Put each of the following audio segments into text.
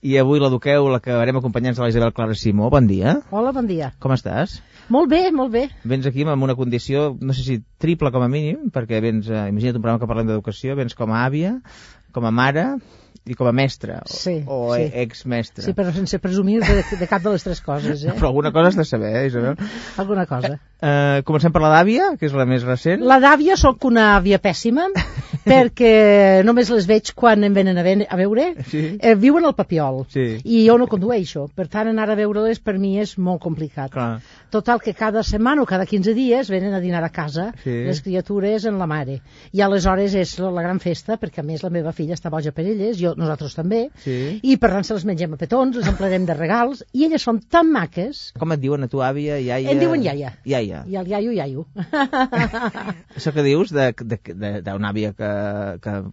I avui l'eduqueu, l'acabarem acompanyant a la Isabel Clara Simó. Bon dia. Hola, bon dia. Com estàs? Molt bé, molt bé. Vens aquí amb una condició, no sé si triple com a mínim, perquè vens, imagina't un programa que parlem d'educació, vens com a àvia, com a mare i com a mestra, sí. exmestra. Sí, però sense presumir de cap de les tres coses, eh? Però alguna cosa has de saber, Isabel? Alguna cosa. Comencem per la d'àvia, que és la més recent. La d'àvia sóc una àvia pèssima, perquè només les veig quan em venen a veure. Sí. Viuen al Papiol, sí. I jo no condueixo. Per tant, anar a veure-les per mi és molt complicat. Clar. Total, que cada setmana o cada 15 dies venen a dinar a casa, sí. Les criatures en la mare. I aleshores és la gran festa, perquè a més la meva filla està boja per elles, nosaltres també, sí. I per tant se les mengem a petons, les emplenem de regals, i elles són tan maques. Com et diuen a tu, àvia, iaia? Em diuen iaia. Iaia. I el iaio. Això que dius d'una àvia que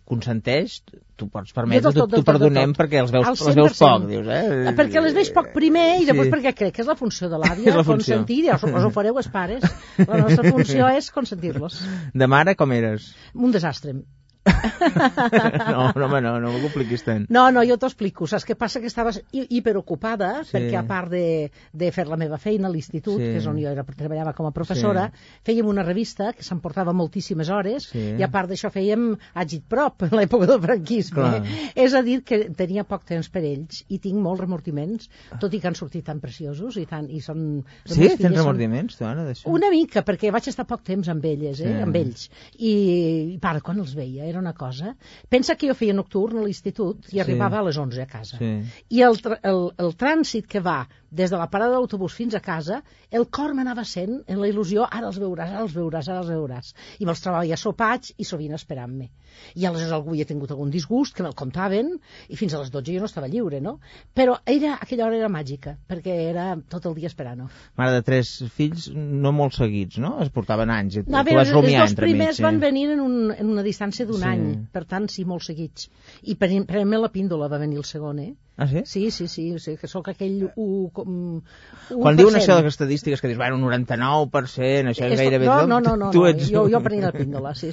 consenteix, tu pots permetre, t'ho perdonem perquè els veus poc, dius, eh? Perquè les veig poc primer i després perquè crec que és la funció de l'àvia, consentir, ja us ho fareu els pares. La nostra funció és consentir-los. De mare com eres? Un desastre. No m'ho compliquis tant. No, jo t'ho explico. Saps què passa? Que estaves hiperocupada, perquè a part de fer la meva feina a l'institut, que és on jo treballava com a professora, fèiem una revista que s'emportava moltíssimes hores, i a part d'això fèiem agitprop en l'època del franquisme. És a dir, que tenia poc temps per ells i tinc molts remordiments, tot i que han sortit tan preciosos i són... Sí? Tens remordiments, tu, Anna, d'això? Una mica, perquè vaig estar poc temps amb elles, amb ells. I part, quan els veia, era una cosa. Pensa que jo feia nocturn a l'institut i arribava a les 11 a casa. I el trànsit que va des de la parada d'autobús fins a casa, el cor m'anava sent en la il·lusió, ara els veuràs. I me'ls trobava sopats i sovint esperant-me. I aleshores algú hi ha tingut algun disgust, que me'l contaven, i fins a les 12 jo no estava lliure, no? Però aquella hora era màgica, perquè era tot el dia esperant-ho. Mare de 3 fills, no molt seguits, no? Es portaven anys. No, a veure, els dos primers van venir en una distància d'un any, per tant, sí, molt seguits. I per la píndola va venir el segon, eh? Ah, sí? Sí, que sóc aquell 1%. Quan diuen això de les estadístiques que dius, bueno, 99%, això és gairebé... No, jo prenia la píndola, sí.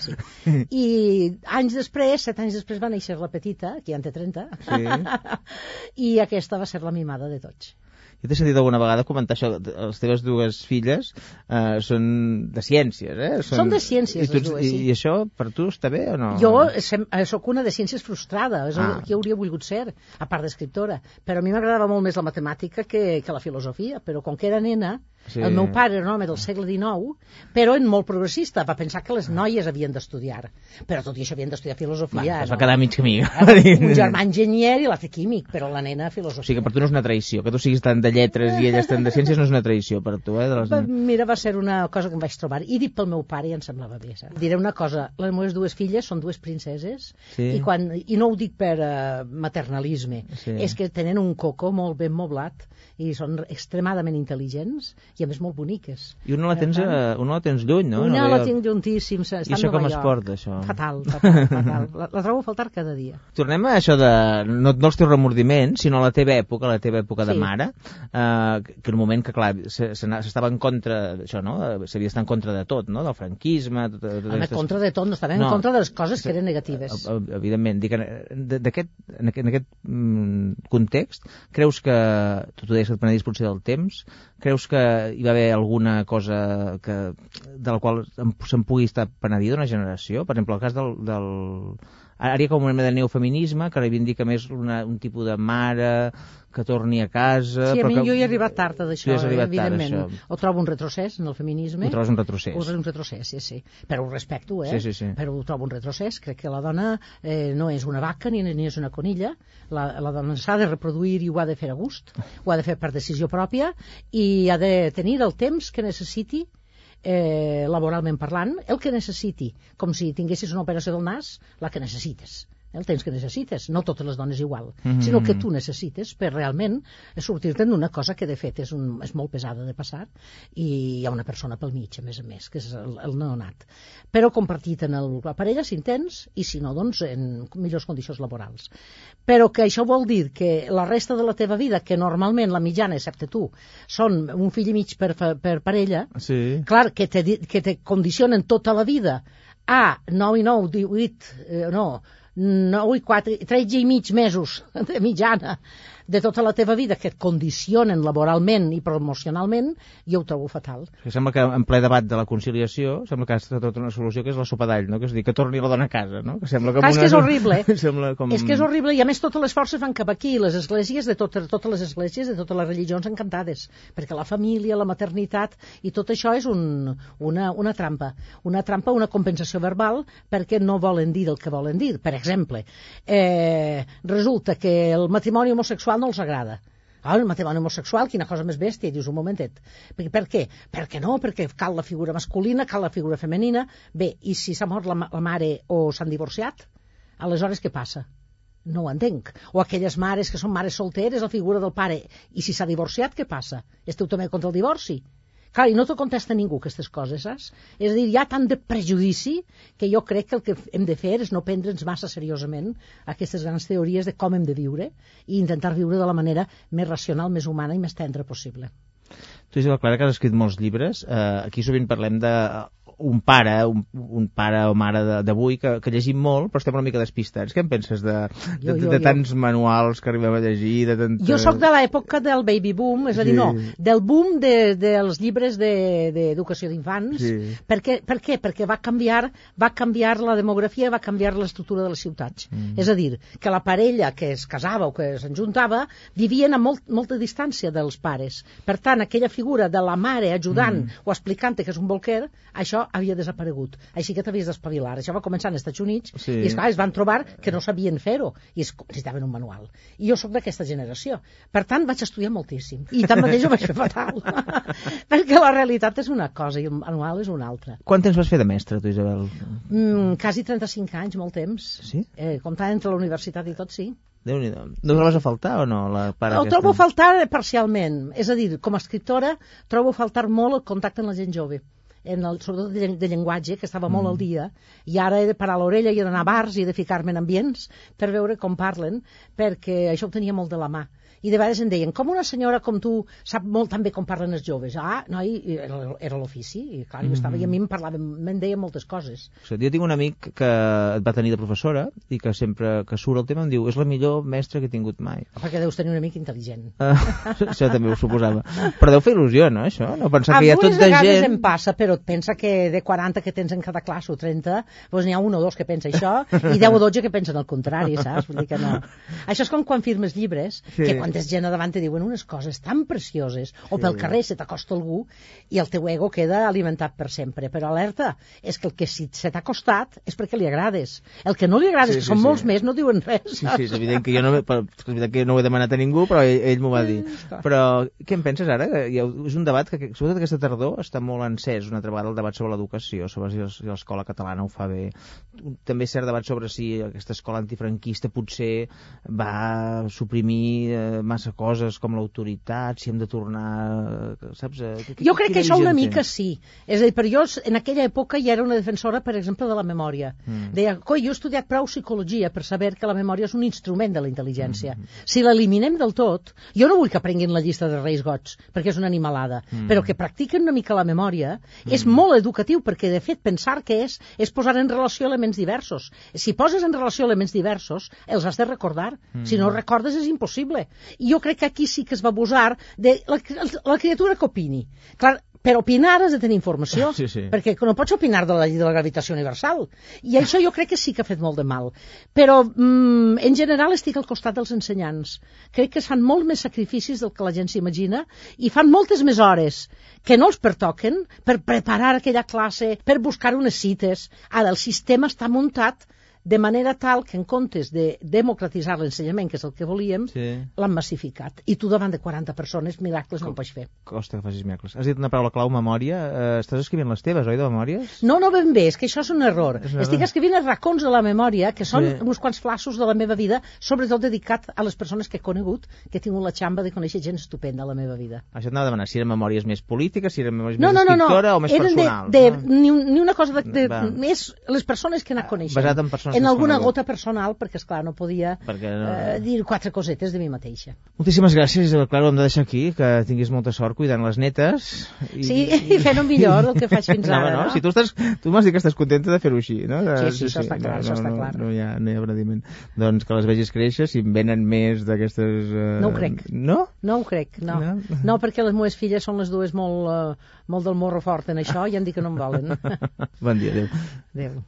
I 7 anys després va néixer la petita, que ja en té 30, i aquesta va ser la mimada de tots. Jo t'he sentit alguna vegada comentar això, les teves dues filles són de ciències, eh? Són de ciències, les dues, sí. I això, per tu, està bé o no? Jo sóc una de ciències frustrada, és el que hauria volgut ser, a part d'escriptora. Però a mi m'agradava molt més la matemàtica que la filosofia, però com que era nena, el meu pare era un home del segle XIX, però molt progressista, va pensar que les noies havien d'estudiar. Però tot i això havien d'estudiar filosofia. Es va quedar mig camí. Un germà enginyer i l'altre químic, però la nena filosofia. O sigui que per tu no és una traïció, que tu siguis tant de lletres i elles tant de ciències no és una traïció per tu, eh? Mira, va ser una cosa que em vaig trobar. I dit pel meu pare i em semblava bé. Diré una cosa, les meves dues filles són dues princeses i no ho dic per maternalisme, és que tenen un coco molt ben moblat i són extremadament intel·ligents i a més molt boniques. I una la tens lluny, no? Una la tinc llunyíssim. I això com es porta, això? Fatal. La trobo a faltar cada dia. Tornem a això de, no els teus remordiments, sinó a la teva època de mare, que en un moment que, clar, s'estava en contra d'això, no? S'havia d'estar en contra de tot, no? Del franquisme... En contra de tot, no estaven en contra de les coses que eren negatives. Evidentment. Dic, en aquest context, creus que, tu deies que et penedis potser del temps, creus que hi va haver alguna cosa de la qual se'n pugui estar penedida d'una generació? Per exemple, el cas del... Ara hi ha com una mena de neofeminisme que reivindica més un tipus de mare que torni a casa... Sí, jo hi he arribat tard d'això, evidentment. Ho trobo un retrocés en el feminisme. Ho trobes un retrocés? Un retrocés, sí. Però ho respecto, Sí. Però ho trobo un retrocés. Crec que la dona no és una vaca ni és una conilla. La dona s'ha de reproduir i ho ha de fer a gust. Ho ha de fer per decisió pròpia i ha de tenir el temps que necessiti laboralment parlant, el que necessiti, com si tinguessis una operació del nas, la que necessites. El temps que necessites, no totes les dones igual, sinó que tu necessites per realment sortir-te'n d'una cosa que de fet és molt pesada de passar i hi ha una persona pel mig, a més, que és el neonat. Però compartit en la parella si en tens i si no, doncs en millors condicions laborals. Però que això vol dir que la resta de la teva vida, que normalment la mitjana, excepte tu, són un fill i mig per parella, clar, que te condicionen tota la vida a 9 i 9, 18, 9 i 4, 13 i mig mesos de mitjana de tota la teva vida que et condicionen laboralment i promocionalment, jo ho trobo fatal. Sembla que en ple debat de la conciliació sembla que ha estat tota una solució que és la sopa d'all, no? Que és dir, que torni la dona a casa, no? Que sembla com és que és horrible. És que és horrible i a més totes les forces van cap aquí, les esglésies de totes les esglésies de totes les religions encantades, perquè la família, la maternitat i tot això és una trampa, una compensació verbal perquè no volen dir el que volen dir. Per exemple, resulta que el matrimoni homosexual no els agrada. El matrimoni homosexual, quina cosa més bèstia, i dius un momentet. Per què? Perquè cal la figura masculina, cal la figura femenina. Bé, i si s'ha mort la mare o s'han divorciat, aleshores què passa? No ho entenc. O aquelles mares que són mares solteres, la figura del pare, i si s'ha divorciat, què passa? Esteu també contra el divorci? Clar, i no t'ho contesta ningú, aquestes coses, saps? És a dir, hi ha tant de prejudici que jo crec que el que hem de fer és no prendre'ns massa seriosament aquestes grans teories de com hem de viure i intentar viure de la manera més racional, més humana i més tendra possible. Tu, Isabel Clara, que has escrit molts llibres, aquí sovint parlem de un pare o mare d'avui que llegim molt, però estem una mica despistats. Què en penses de tants manuals que arribem a llegir? Jo sóc de l'època del baby boom, és a dir, del boom dels llibres d'educació d'infants. Sí. Per què? Perquè va canviar la demografia, va canviar l'estructura de les ciutats. És a dir, que la parella que es casava o que s'enjuntava vivien a molta distància dels pares. Per tant, aquella figura de la mare ajudant o explicant que és un bolquer, això havia desaparegut. Així que t'havies d'espavilar. Això va començar als Estats Units i esclar, es van trobar que no sabien fer-ho i necessitaven un manual. I jo sóc d'aquesta generació. Per tant, vaig estudiar moltíssim. I tanmateix ho vaig fer fatal. Perquè la realitat és una cosa i el manual és una altra. Quant temps vas fer de mestre, tu, Isabel? Quasi 35 anys, molt temps. Sí? Comptant entre la universitat i tot, sí. Déu-n'hi-do. No trobes a faltar o no? Ho trobo a faltar parcialment. És a dir, com a escriptora, trobo a faltar molt el contacte amb la gent jove. Sobretot de llenguatge, que estava molt al dia, i ara he de parar l'orella i he d'anar a bars i he de ficar-me en ambients per veure com parlen, perquè això ho tenia molt de la mà. I de vegades em deien, com una senyora com tu sap molt també com parlen els joves? Noi, era l'ofici, i clar, jo estava i a mi me'n deien moltes coses. Jo tinc un amic que et va tenir de professora i que sempre que surt el tema em diu és la millor mestra que he tingut mai. Perquè deus tenir un amic intel·ligent. Això també ho suposava. Però deu fer il·lusió, no, això? No pensar que hi ha tot de gent... Algunes vegades em passa, però et pensa que de 40 que tens en cada classe o 30, doncs n'hi ha un o dos que pensa això i 10 o 12 que pensen el contrari, saps? Vull dir que no. Això és com quan firmes llibres, que quan tens gent a davant te diuen unes coses tan precioses, o pel carrer se t'acosta algú i el teu ego queda alimentat per sempre. Però alerta, és que el que si se t'ha costat és perquè li agrades. El que no li agrades, que són molts més, no diuen res. Sí, és evident que jo no ho he demanat a ningú, però ell m'ho va dir. Però què en penses ara? És un debat que, sobretot aquesta tardor, està molt encès una altra vegada el debat sobre l'educació, sobre si l'escola catalana ho fa bé. També és cert debat sobre si aquesta escola antifranquista potser va suprimir massa coses com l'autoritat, si hem de tornar... Saps? Jo crec que això una mica sí. És a dir, per jo en aquella època ja era una defensora, per exemple, de la memòria. Deia, jo he estudiat prou psicologia per saber que la memòria és un instrument de la intel·ligència. Si l'eliminem del tot, jo no vull que aprenguin la llista de Reis Goig, perquè és una animalada, però que practiquen una mica la memòria és molt educatiu, perquè de fet pensar que és posar en relació elements diversos. Si poses en relació elements diversos, els has de recordar. Si no recordes és impossible. I jo crec que aquí sí que es va abusar de la criatura que opini. Clar, per opinar has de tenir informació, perquè no pots opinar de la llei de la gravitació universal. I això jo crec que sí que ha fet molt de mal. Però, en general, estic al costat dels ensenyants. Crec que es fan molt més sacrificis del que la gent s'imagina i fan moltes més hores que no els pertoquen per preparar aquella classe, per buscar unes cites. Ara, el sistema està muntat de manera tal que en comptes de democratitzar l'ensenyament, que és el que volíem, l'han massificat. I tu davant de 40 persones, miracles no ho pots fer. Costa que facis miracles. Has dit una paraula clau, memòria. Estàs escrivint les teves, oi, de memòries? No ben bé, és que això és un error. Estic escrivint els racons de la memòria, que són uns quants flaços de la meva vida, sobretot dedicat a les persones que he conegut, que he tingut la xamba de conèixer gent estupenda a la meva vida. Això t'anava a demanar, si eren memòries més polítiques, si eren memòries més d'escriptora o més personals. Ni una cosa més les persones que anar coneixent. Basat en persones en alguna gota personal, perquè, esclar, no podia dir 4 cosetes de mi mateixa. Moltíssimes gràcies, Isabel Claro, ho hem de deixar aquí, que tinguis molta sort cuidant les netes. Sí, i fent-ho millor del que faig fins ara, no? Si tu m'has dit que estàs contenta de fer-ho així, no? Sí, això està clar, això està clar. No hi ha abrandiment. Doncs que les vegis créixer, si en venen més d'aquestes... No ho crec. No? No ho crec, no. No, perquè les meves filles són les dues molt del morro fort en això i han dit que no em volen. Bon dia, adéu. Adéu.